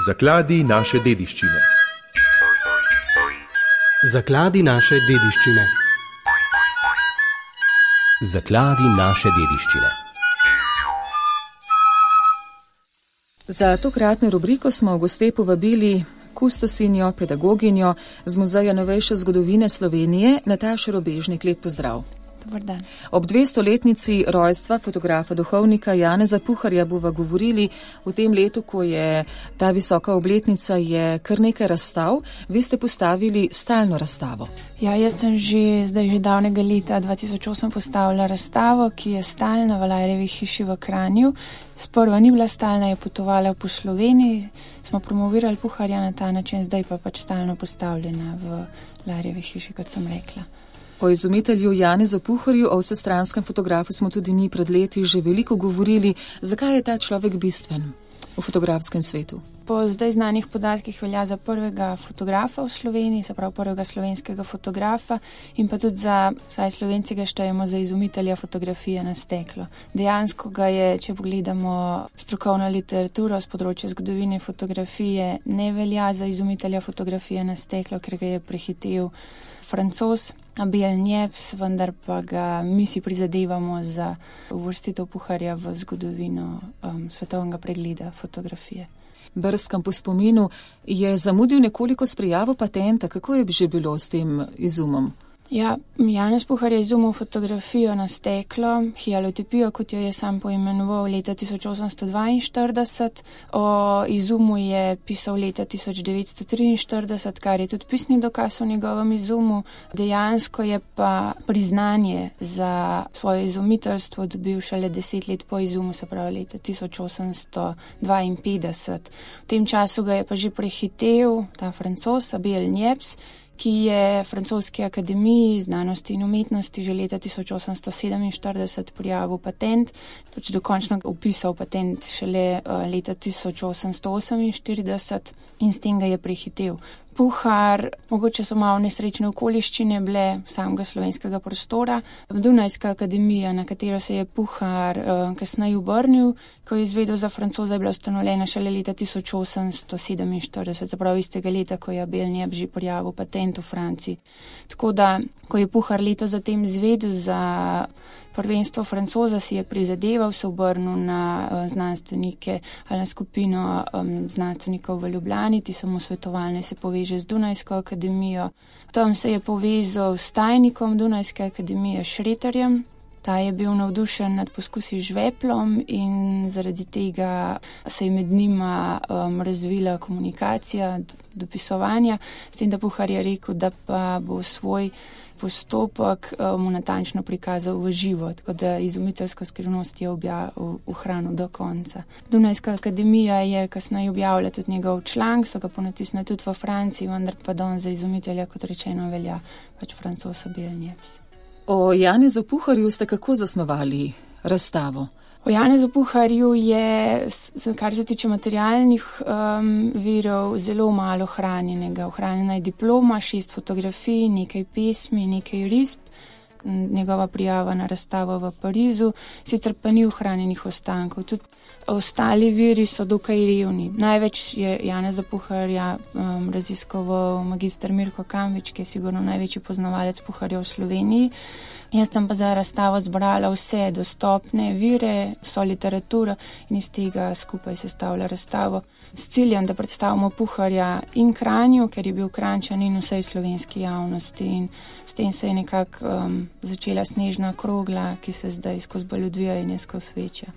Zakladi naše dediščine. Zakladi naše dediščine. Zakladi naše dediščine. Za tokratno rubriko smo v goste povabili kustosinjo, pedagoginjo z Muzeja novejše zgodovine Slovenije, Natašo Robežnik. Lep pozdrav. Dobar dan. Ob 200-letnici rojstva fotografa duhovnika Janeza Puharja bova govorili v tem letu, ko je ta visoka obletnica, je kar nekaj razstav. Vi ste postavili stalno razstavo. Ja, jaz sem že davnega leta 2008 postavila razstavo, ki je stalna v Lajrevi hiši v Kranju. Sprva ni bila stalna, je potovala po Sloveniji, smo promovirali Puharja na ta način, zdaj pa pač stalno postavljena v Lajrevi hiši, kot sem rekla. O izumitelju Janezu Puharju, o vsestranskem fotografu smo tudi mi pred leti že veliko govorili. Zakaj je ta človek bistven v fotografskem svetu? Po zdaj znanih podatkih velja za prvega fotografa v Sloveniji, se pravi prvega slovenskega fotografa in pa tudi za, saj Slovenci ga štejemo za izumitelja fotografije na steklo. Dejansko ga je, če pogledamo strokovno literaturo z področja zgodovine fotografije, ne velja za izumitelja fotografije na steklo, ker ga je prehitel Francoz Abel Niepce, vendar pa ga mi si prizadevamo za uvrstitev Puharja v zgodovino svetovnega pregleda fotografije. Brskam po spominu, je zamudil nekoliko s prijavo patenta. Kako je že bilo s tem izumom? Ja, Janez Puhar je izumil fotografijo na steklo, hialotipijo, kot jo je sam poimenoval, leta 1842. O izumu je pisal leta 1943, kar je tudi pisni dokaz o njegovem izumu. Dejansko je pa priznanje za svoje izumiteljstvo dobil šele 10 let po izumu, se pravi leta 1852. V tem času ga je pa že prehitel ta Francoz Abel Niepce, ki je Francoski akademiji znanosti in umetnosti že leta 1847 prijavil patent, pač dokončno upisal patent šele leta 1848 in s tem ga je prehitel. Puhar, mogoče so malo nesrečne okoliščine bile samega slovenskega prostora. Dunajska akademija, na katero se je Puhar kasneje obrnil, ko je izvedel za Francoza, je bila ustanovljena šele leta 1847, zaprav istega leta, ko je Abel Niepce že prijavil patent v Franciji. Tako da, ko je Puhar leto zatem izvedel za prvenstvo Francoza, si je prizadeval, se obrnil na znanstvenike ali na skupino znanstvenikov v Ljubljani, ti so mu svetovali, se poveže z Dunajsko akademijo. Tam se je povezal s tajnikom Dunajske akademije Šreterjem. Ta je bil navdušen nad poskusi z žveplom in zaradi tega se je med njima razvila komunikacija, dopisovanja, s tem, da Puhar je rekel, da pa bo svoj postopek mu natančno prikazal v živo, tako da izumiteljsko skrivnost je ohranil do konca. Dunajska akademija je kasneje objavila tudi njegov članek, so ga ponatisnili tudi v Franciji, vendar pa don za izumitelja, kot rečeno, velja pač Francoz Abel Niepce. O Janezu Puharju ste kako zasnovali razstavo? O Janezu Puharju je, kar se tiče materialnih virov, zelo malo hranjenega. Ohranjena je diploma, 6 fotografij, nekaj pesmi, nekaj risb, njegova prijava na razstavo v Parizu, sicer pa ni ohranjenih ostankov. Tudi ostali viri so dokaj revni. Največ je Janeza Puharja raziskoval magister Mirko Kambič, ki je sigurno največji poznavalec Puharja v Sloveniji. Jaz sem pa za razstavo zbrala vse dostopne vire, vso literaturo in iz tega skupaj sestavlja razstavo s ciljem, da predstavimo Puharja in Kranju, ker je bil Kranjčan, in vsej slovenski javnosti. In s tem se je nekako začela snežna krogla, ki se zdaj skozi bolj odvija in je skozi večja.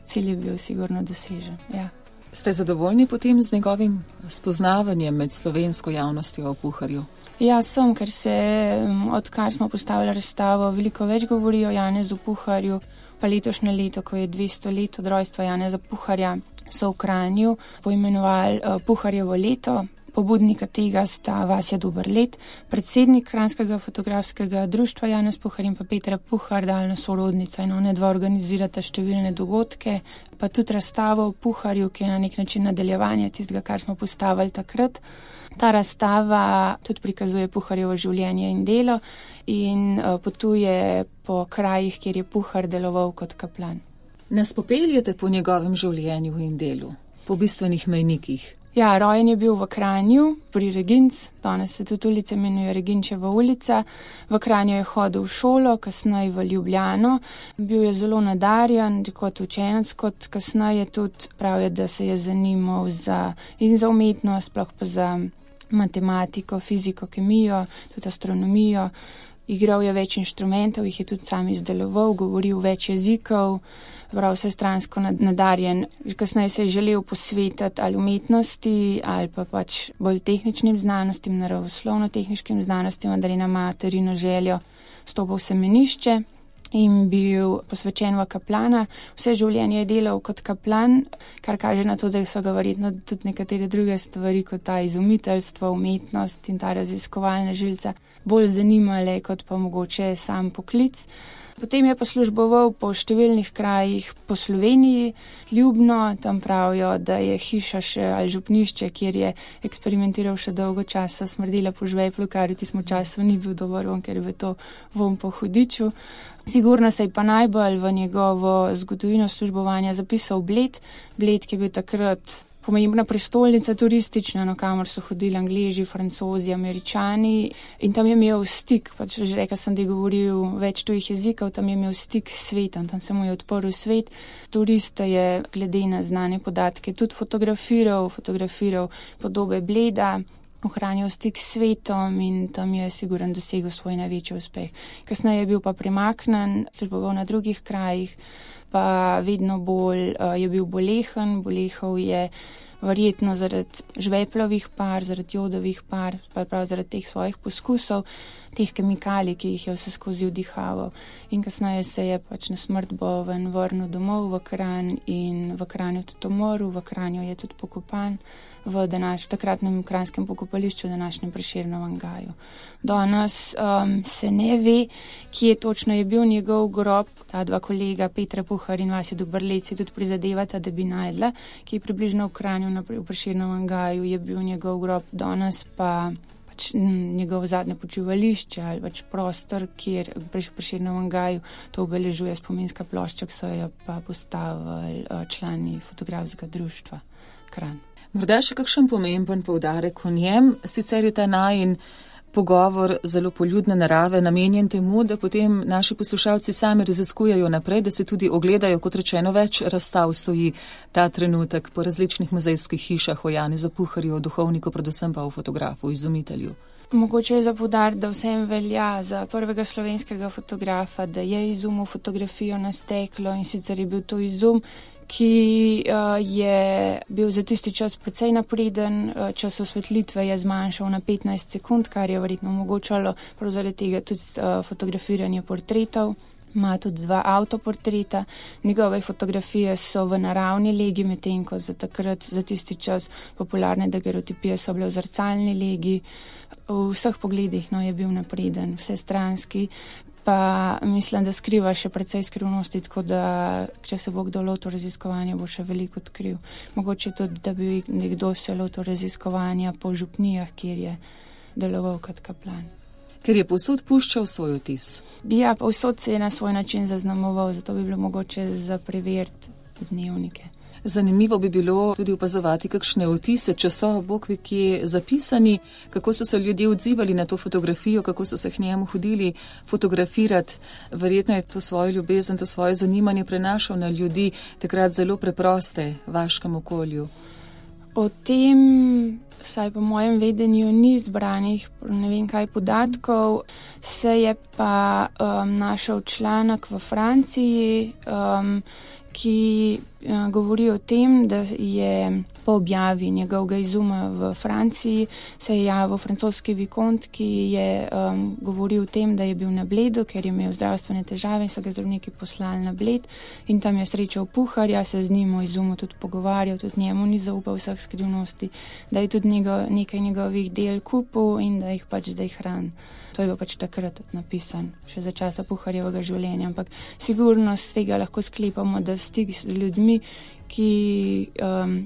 Cilj je bil sigurno dosežen, ja. Ste zadovoljni potem z njegovim spoznavanjem med slovensko javnostjo o Puharju? Ja, sem, ker se, odkar smo postavili razstavo, veliko več govori o Janezu Puharju, pa letošnje leto, ko je 200 let od rojstva Janeza Puharja, so v Kranju poimenovali Puharjevo leto. Pobudnika tega sta Vasja Doberlet, predsednik Kranjskega fotografskega društva Janez Puhar in pa Petra Puhar, daljna sorodnica, in one dva organizirata številne dogodke, pa tudi razstavo o Puharju, ki je na nek način nadaljevanje tistega, kar smo postavili takrat. Ta razstava tudi prikazuje Puharjevo življenje in delo in potuje po krajih, kjer je Puhar deloval kot kaplan. Nas popeljete po njegovem življenju in delu, po bistvenih mejnikih? Ja, rojen je bil v Kranju, pri Reginc, danes se tudi ulica imenuje Reginčeva ulica. V Kranju je hodil v šolo, kasneje v Ljubljano. Bil je zelo nadarjen, kot učenec, kot kasneje tudi pravijo, da se je zanimal za umetnost, sploh pa za matematiko, fiziko, kemijo, tudi astronomijo. Igral je več inštrumentov, jih je tudi sam izdeloval, govoril več jezikov, prav vsestransko nadarjen. Kasneje se je želel posvetiti ali umetnosti ali pa pač bolj tehničnim znanostim, naravoslovno-tehničkim znanostim, vendar je na materino željo stopil v semenišče in bil posvečen v kaplana. Vse življenje je delal kot kaplan, kar kaže na to, da so ga verjetno tudi nekatere druge stvari, kot ta izumiteljstvo, umetnost in ta raziskovalna žilca, bolj zanimale kot pa mogoče sam poklic. Potem je poslužboval po številnih krajih po Sloveniji, Ljubno, tam pravijo, da je hiša še ali župnišče, kjer je eksperimentiral še dolgo časa, smrdela po žveplu, kar v tistem času ni bil dober von, ker je to von po hudiču. Sigurno se je pa najbolj v njegovo zgodovino službovanja zapisal Bled, ki je bil takrat pomembna prestolnica turistična, kamor so hodili Angleži, Francozi, Američani in tam je imel stik, pač že rekla sem, da je govoril več tujih jezikov, tam je imel stik s svetom, tam se mu je odprl svet. Turiste je glede na znane podatke tudi fotografiral podobe Bleda, ohranjal stik s svetom in tam je sigurno dosegel svoj največji uspeh. Kasneje je bil pa premaknen, služboval na drugih krajih, pa vedno bolj je bil bolehen, bolehal je verjetno zaradi žveplovih par, zaradi jodovih par, pa prav zaradi teh svojih poskusov, teh kemikalij, ki jih je vse skozi vdihaval. In kasneje se je pač na smrt boven vrnil domov v Kranj in v Kranju tudi umrl, v Kranju je tudi pokopan v takratnem kranjskem pokopališču, današnjem Prešernovem gaju. Danes se ne ve, kje točno je bil njegov grob. Ta dva kolega, Petra Puhar in Vasja Dobrlec, tudi prizadevata, da bi najdla, ki je približno v Kranju v Prešernovem gaju, je bil njegov grob. Danes pa njegov zadnje počivališče ali pač prostor, kjer v Prešernovem gaju to obeležuje spominska plošča, ki so jo pa postavili člani fotografskega društva Kranj. Morda še kakšen pomemben poudarek o njem, sicer je ta najin pogovor zelo poljudne narave, namenjen temu, da potem naši poslušalci sami raziskujejo naprej, da se tudi ogledajo, kot rečeno, več razstav stoji ta trenutek po različnih muzejskih hišah o Janezu Puharju, o duhovniku, predvsem pa o fotografu, izumitelju. Mogoče je za poudariti, da vsem velja za prvega slovenskega fotografa, da je izumil fotografijo na steklo in sicer je bil to izum, ki je bil za tisti čas precej napreden, čas osvetlitve je zmanjšal na 15 sekund, kar je verjetno omogočalo prav zaradi tega tudi fotografiranje portretov. Ima tudi 2 avtoportreta, njegove fotografije so v naravni legi, medtem ko za takrat, za tisti čas popularne dagerotipije so bile v zrcalni legi. V vseh pogledih je bil napreden, vsestranski, pa mislim, da skriva še precej skrivnosti, tako da, če se bo kdo lotil raziskovanja, bo še veliko odkril. Mogoče tudi, da bi nekdo se lotil raziskovanja po župnijah, kjer je deloval kot kaplan. Ker je povsod puščal svoj vtis. Ja, povsod se je na svoj način zaznamoval, zato bi bilo mogoče za preveriti dnevnike. Zanimivo bi bilo tudi opazovati kakšne vtise, če so bogve kje zapisani, kako so se ljudje odzivali na to fotografijo, kako so se k njemu hodili fotografirati. Verjetno je to svojo ljubezen, to svoje zanimanje prenašal na ljudi, takrat zelo preproste v vaškem okolju. O tem, saj po mojem vedenju, ni zbranih ne vem kaj podatkov, se je pa našel članek v Franciji, ki govori o tem, da je po objavi njegovega izuma v Franciji se je javil francoski vikont, ki je govoril o tem, da je bil na Bledu, ker je imel zdravstvene težave in so ga zdravniki poslali na Bled in tam je srečal Puharja, se z njim o izumu tudi pogovarjal, tudi njemu ni zaupal vseh skrivnosti, da je tudi nekaj njegovih del kupil in da jih pač zdaj hrani. To je bil pač takrat napisan, še za časa Puharjevega življenja, ampak sigurno z tega lahko sklepamo, da stik z ljudmi, ki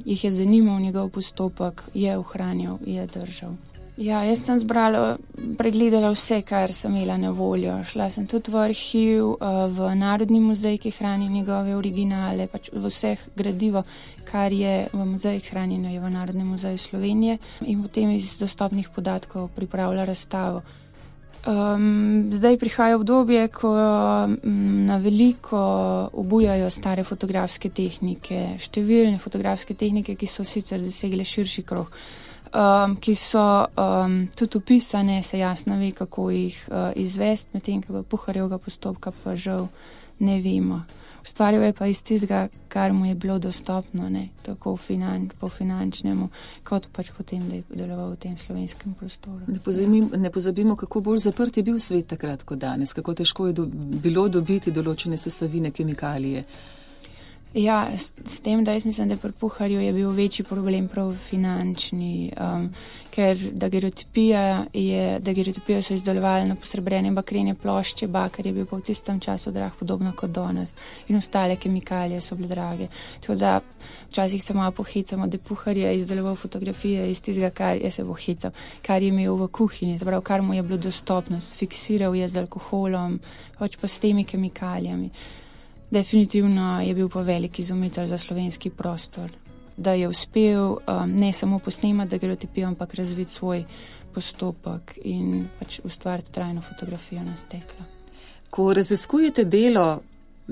jih je zanimal njegov postopek, je ohranjal, je držal. Ja, jaz sem pregledala vse, kar sem imela na voljo. Šla sem tudi v arhiv, v Narodni muzej, ki hrani njegove originale, pač v vseh gradivo, kar je v muzejih hranjeno, je v Narodnem muzeju Slovenije in potem iz dostopnih podatkov pripravila razstavo. Zdaj prihaja obdobje, ko na veliko obujajo stare fotografske tehnike, številne fotografske tehnike, ki so sicer dosegle širši krog, ki so tudi opisane, se jasno ve, kako jih izvesti, medtem ko Puharjevega postopka pa žal ne vemo. Ustvarjal je pa iz tistega, kar mu je bilo dostopno, ne, tako po finančnemu, kot pač potem, da je deloval v tem slovenskem prostoru. Ne pozabimo, kako bolj zaprt je bil svet takrat kot danes, kako težko je bilo dobiti določene sestavine, kemikalije. Ja, s tem, da jaz mislim, da pri Puharju je bil večji problem prav finančni, ker dagerotipijo so izdelovali na posrebrene bakrene plošče, bakar je bil pa v tistem času drag, podobno kot danes, in ostale kemikalije so bile drage. Tako da včasih se malo pohecamo, da Puhar je izdeloval fotografije iz tistega, kar je imel v kuhinji, zaprav kar mu je bilo dostopno, fiksiral je z alkoholom, pač pa s temi kemikalijami. Definitivno je bil pa velik izumitelj za slovenski prostor, da je uspel ne samo posnemati dagerotipijo, ampak razviti svoj postopek in pač ustvariti trajno fotografijo na steklo. Ko raziskujete delo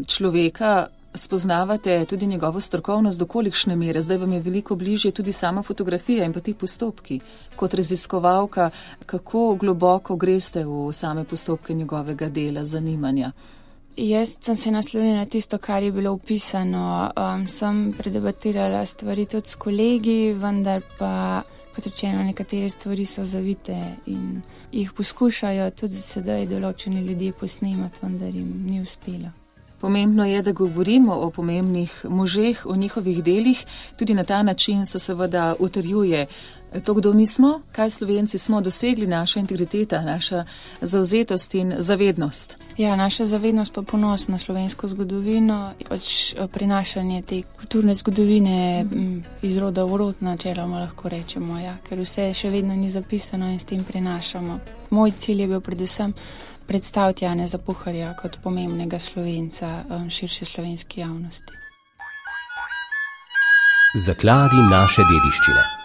človeka, spoznavate tudi njegovo strokovnost, do kolikšne mere. Zdaj vam je veliko bližje tudi sama fotografija in pa ti postopki. Kot raziskovalka, kako globoko greste v same postopke njegovega dela, zanimanja? Jaz sem se naslonila na tisto, kar je bilo opisano. Sem predebatirala stvari tudi s kolegi, vendar pa, kot rečeno, nekatere stvari so zavite in jih poskušajo tudi sedaj določeni ljudje posnemati, vendar jim ni uspelo. Pomembno je, da govorimo o pomembnih možeh, o njihovih delih. Tudi na ta način se seveda utrjuje to, kdo mi smo, kaj Slovenci smo dosegli, naša integriteta, naša zavzetost in zavednost. Ja, naša zavednost pa ponos na slovensko zgodovino, pač prinašanje te kulturne zgodovine iz roda v rod, načeloma lahko rečemo, ja, ker vse še vedno ni zapisano in s tem prinašamo. Moj cilj je bil predvsem predstaviti Janeza Puharja kot pomembnega Slovenca širše slovenski javnosti. Zakladi naše dediščine.